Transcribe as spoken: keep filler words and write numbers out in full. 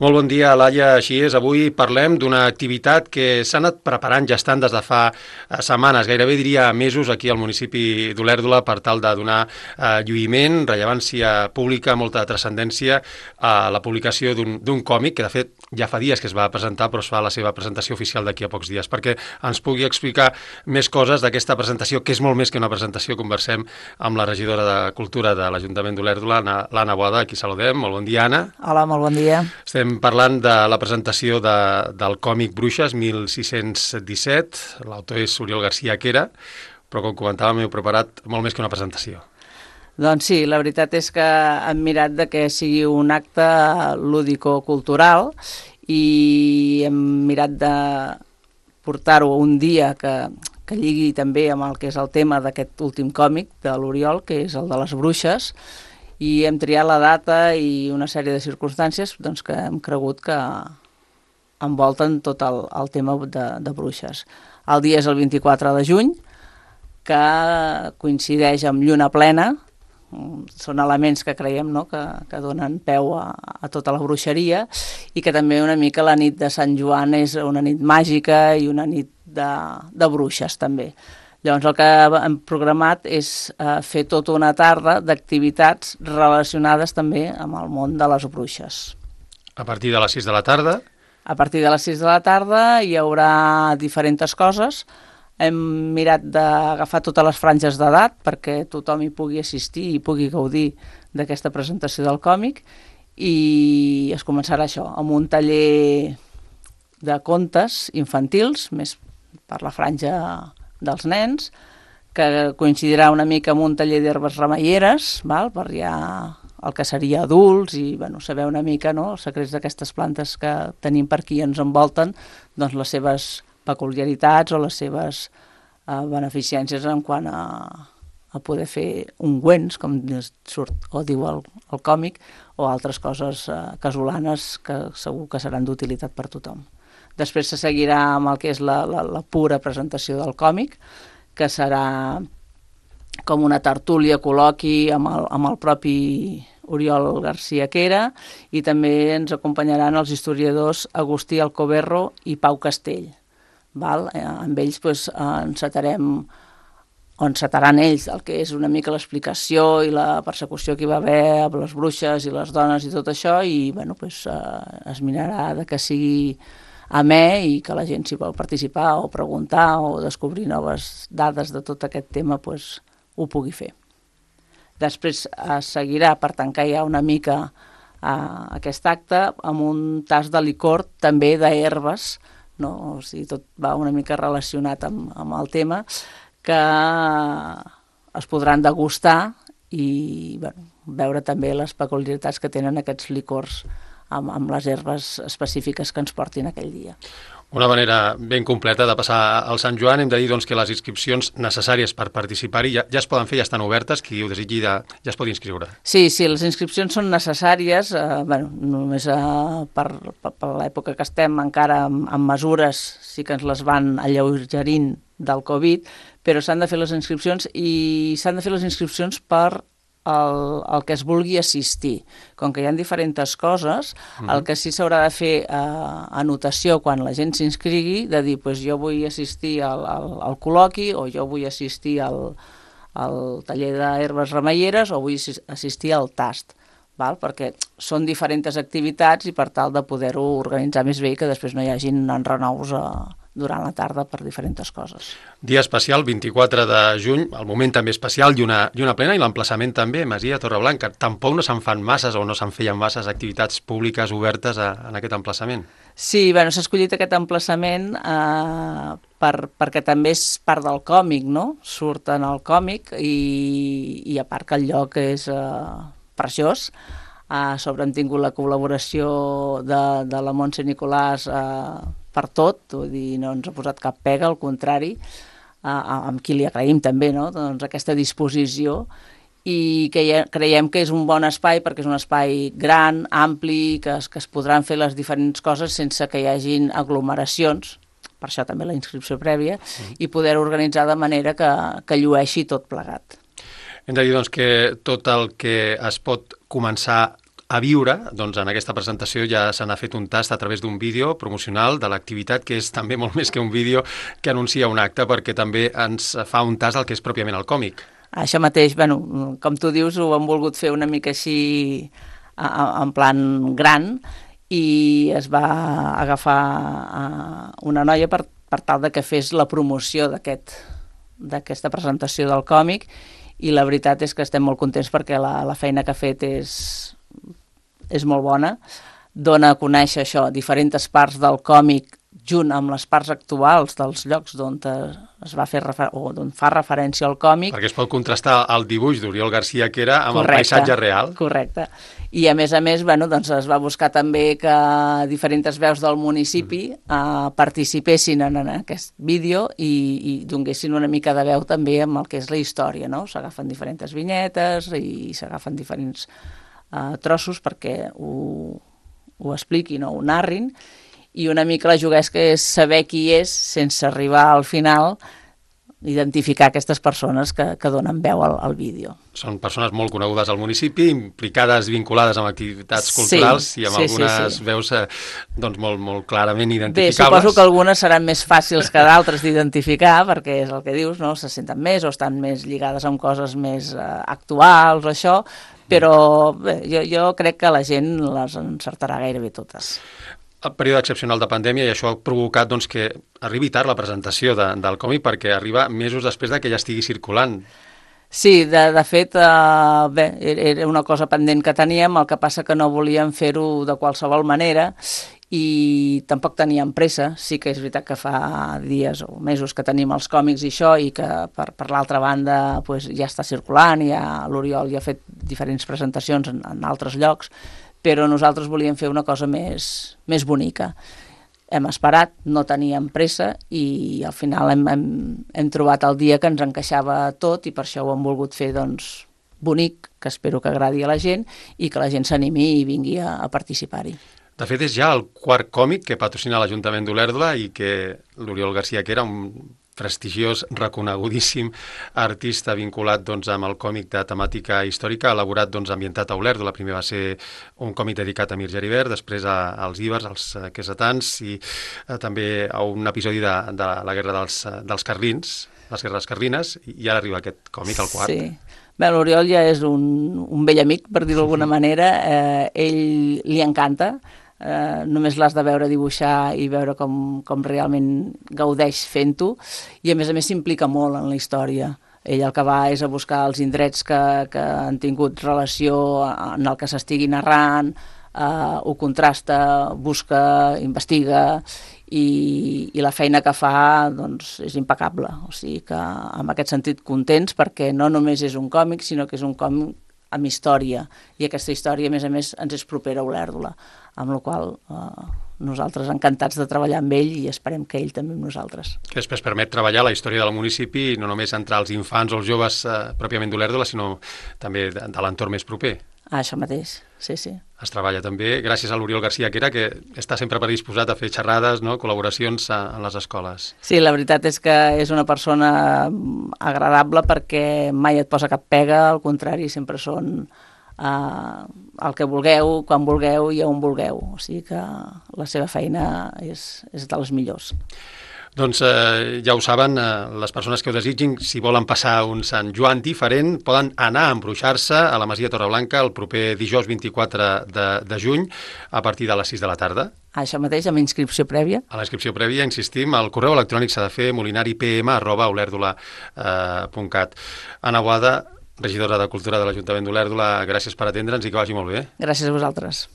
Molt bon dia, Laia. Així és, avui parlem d'una activitat que s'ha anat preparant ja estan des de fa setmanes, gairebé diria mesos, aquí al municipi d'Olèrdola per tal de donar eh, lluïment, rellevància pública, molta transcendència a la publicació d'un còmic que de fet ja fa dies que es va presentar, però es fa la seva presentació oficial d'aquí a pocs dies. Perquè ens pugui explicar més coses d'aquesta presentació, que és molt més que una presentació, conversem amb la regidora de Cultura de l'Ajuntament d'Olèrdola, l'Anna Boada, aquí saludem. Molt bon dia, Anna. Hola, molt bon dia. Estem parlant de la presentació de, del còmic Bruixes, mil sis-cents disset, l'autor és Oriol García Quera, però com comentàvem heu preparat molt més que una presentació. Doncs sí, la veritat és que hem mirat de que sigui un acte lúdico-cultural i hem mirat de portar-ho un dia que, que lligui també amb el que és el tema d'aquest últim còmic de l'Oriol, que és el de les bruixes, i hem triat la data i una sèrie de circumstàncies doncs, que hem cregut que envolten tot el, el tema de, de bruixes. El dia és el vint-i-quatre de juny, que coincideix amb lluna plena. Són elements que creiem no? que, que donen peu a, a tota la bruixeria i que també una mica la nit de Sant Joan és una nit màgica i una nit de, de bruixes també. Llavors el que hem programat és eh, fer tota una tarda d'activitats relacionades també amb el món de les bruixes. A partir de les sis de la tarda? A partir de les sis de la tarda hi haurà diferents coses. Hem mirat d'agafar totes les franges d'edat perquè tothom hi pugui assistir i pugui gaudir d'aquesta presentació del còmic i es començarà això, amb un taller de contes infantils, més per la franja dels nens, que coincidirà una mica amb un taller d'herbes remeieres, val? Per ja el que seria adults i bueno, saber una mica no? Els secrets d'aquestes plantes que tenim per aquí ens envolten, doncs les seves peculiaritats o les seves eh, beneficències en quant a, a poder fer ungüents, com surt o diu el, el còmic, o altres coses eh, casolanes que segur que seran d'utilitat per tothom. Després se seguirà amb el que és la, la, la pura presentació del còmic, que serà com una tertúlia, col·loqui amb el, amb el propi Oriol García Quera i també ens acompanyaran els historiadors Agustí Alcoberro i Pau Castell. Val? Eh, amb ells pues, eh, encetarem, o encetaran ells el que és una mica l'explicació i la persecució que hi va haver amb les bruixes i les dones i tot això i bueno, pues, eh, es mirarà de que sigui amè i que la gent si vol participar o preguntar o descobrir noves dades de tot aquest tema pues, ho pugui fer. Després es seguirà per tancar ja una mica eh, aquest acte amb un tas de licor també d'herbes, no? O sigui, tot va una mica relacionat amb, amb el tema, que es podran degustar i bueno, veure també les peculiaritats que tenen aquests licors amb, amb les herbes específiques que ens portin aquell dia. Una manera ben completa de passar al Sant Joan. Hem de dir doncs, que les inscripcions necessàries per participar-hi ja, ja es poden fer, ja estan obertes, qui ho desitgi de, ja es pot inscriure. Sí, sí, les inscripcions són necessàries, eh, bueno, només eh, per, per, per l'època que estem encara amb, amb mesures, sí que ens les van alleugerint del Covid, però s'han de fer les inscripcions i s'han de fer les inscripcions per El, el que es vulgui assistir. Com que hi ha diferents coses, mm-hmm. el que sí s'haurà de fer eh, anotació quan la gent s'inscrigui, de dir, pues, jo vull assistir al, al, al col·loqui o jo vull assistir al, al taller d'herbes remeieres o vull assistir al tast, val? Perquè són diferents activitats i per tal de poder-ho organitzar més bé i que després no hi hagin enrenous a durant la tarda per diferents coses. Dia especial, vint-i-quatre de juny, el moment també especial, lluna, lluna plena i l'emplaçament també, Masia Torreblanca. Tampoc no se'n fan masses o no se'n feien masses activitats públiques obertes a, en aquest emplaçament. Sí, bueno, s'ha escollit aquest emplaçament eh, per, perquè també és part del còmic, no? Surt en el còmic i, i a part que el lloc és eh, preciós. A sobre hem tingut la col·laboració de, de la Montse Nicolàs eh, per tot, vull dir, no ens ha posat cap pega, al contrari, eh, amb qui li agraïm també no? doncs aquesta disposició i que ja creiem que és un bon espai perquè és un espai gran, ampli, que es, que es podran fer les diferents coses sense que hi hagin aglomeracions, per això també la inscripció prèvia, mm. i poder organitzar de manera que, que llueixi tot plegat. Hem de dir doncs, que tot el que es pot començar a viure, doncs en aquesta presentació ja se n'ha fet un tast a través d'un vídeo promocional de l'activitat, que és també molt més que un vídeo que anuncia un acte, perquè també ens fa un tast al que és pròpiament el còmic. Això mateix, bueno, com tu dius, ho hem volgut fer una mica així en plan gran, i es va agafar una noia per, per tal de que fes la promoció d'aquest d'aquesta presentació del còmic, i la veritat és que estem molt contents perquè la, la feina que ha fet és, és molt bona. Dona a conèixer això, diferents parts del còmic junt amb les parts actuals dels llocs d'on es va fer refer o d'on fa referència al còmic. Perquè es pot contrastar el dibuix d'Oriol Garcia que era amb correcte, el paisatge real. Correcte. I a més a més, bueno, doncs es va buscar també que diferents veus del municipi mm. eh, participessin en, en aquest vídeo i, i donguessin una mica de veu també amb el que és la història, no? S'agafen diferents vinyetes i s'agafen diferents eh, trossos perquè ho, ho expliquin o ho narrin, i una mica la juguesca és saber qui és sense arribar al final identificar aquestes persones que, que donen veu al, al vídeo. Són persones molt conegudes al municipi, implicades, vinculades amb activitats culturals sí, i amb sí, algunes sí, sí. veus eh, doncs molt, molt clarament identificables. Bé, suposo que algunes seran més fàcils que d'altres d'identificar, perquè és el que dius, no? Se senten més o estan més lligades amb coses més eh, actuals o això, però bé, jo, jo crec que la gent les encertarà gairebé totes. El període excepcional de pandèmia, i això ha provocat doncs, que arribi tard la presentació de, del còmic, perquè arriba mesos després de que ja estigui circulant. Sí, de, de fet, eh, bé, era una cosa pendent que teníem, el que passa que no volíem fer-ho de qualsevol manera i tampoc teníem pressa. Sí que és veritat que fa dies o mesos que tenim els còmics i això, i que per, per l'altra banda pues, ja està circulant, i ja l'Oriol ja ha fet diferents presentacions en, en altres llocs, però nosaltres volíem fer una cosa més, més bonica. Hem esperat, no teníem pressa, i al final hem, hem, hem trobat el dia que ens encaixava tot, i per això ho hem volgut fer doncs, bonic, que espero que agradi a la gent, i que la gent s'animi i vingui a, a participar-hi. De fet, és ja el quart còmic que patrocina l'Ajuntament d'Olèrdola i que l'Oriol Garcia, que era un prestigiós, reconegudíssim artista vinculat doncs, amb el còmic de temàtica històrica, elaborat doncs, ambientat a Olèrdola. Primer va ser un còmic dedicat a Mir Geribert, després a, als ibers, als uh, quesatans, i uh, també a un episodi de, de la guerra dels, uh, dels carlins, les guerres carlines, i ara arriba aquest còmic, el quart. Sí. Bé, l'Oriol ja és un, un vell amic, per dir-ho d'alguna manera. Eh, ell li encanta. Eh, només l'has de veure dibuixar i veure com, com realment gaudeix fent-ho, i a més a més s'implica molt en la història. Ell el que va és a buscar els indrets que, que han tingut relació en el que s'estigui narrant, eh, ho contrasta, busca, investiga, i, i la feina que fa doncs, és impecable. O sigui que en aquest sentit contents, perquè no només és un còmic, sinó que és un còmic amb història, i aquesta història a més a més ens és propera a Olèrdola, amb la qual eh, nosaltres encantats de treballar amb ell, i esperem que ell també amb nosaltres. Que després permet treballar la història del municipi, no només entre els infants o els joves eh, pròpiament d'Olèrdola, sinó també de, de l'entorn més proper. Ah, això mateix, sí, sí. Es treballa també gràcies a l'Oriol Garcia, que era que està sempre predisposat a fer xerrades, no? Col·laboracions a, en les escoles. Sí, la veritat és que és una persona agradable, perquè mai et posa cap pega, al contrari, sempre són uh, el que vulgueu, quan vulgueu i on vulgueu. O sigui que la seva feina és, és de les millors. Doncs eh, ja ho saben, eh, les persones que ho desitgin, si volen passar un Sant Joan diferent, poden anar a embruixar-se a la Masia Torreblanca el proper dijous vint-i-quatre de, de juny a partir de les sis de la tarda. Això mateix, amb inscripció prèvia. A la inscripció prèvia, insistim, el correu electrònic s'ha de fer molinaripm arroba olèrdola punt cat. Anna Boada, regidora de Cultura de l'Ajuntament d'Olèrdola, gràcies per atendre'ns i que vagi molt bé. Gràcies a vosaltres.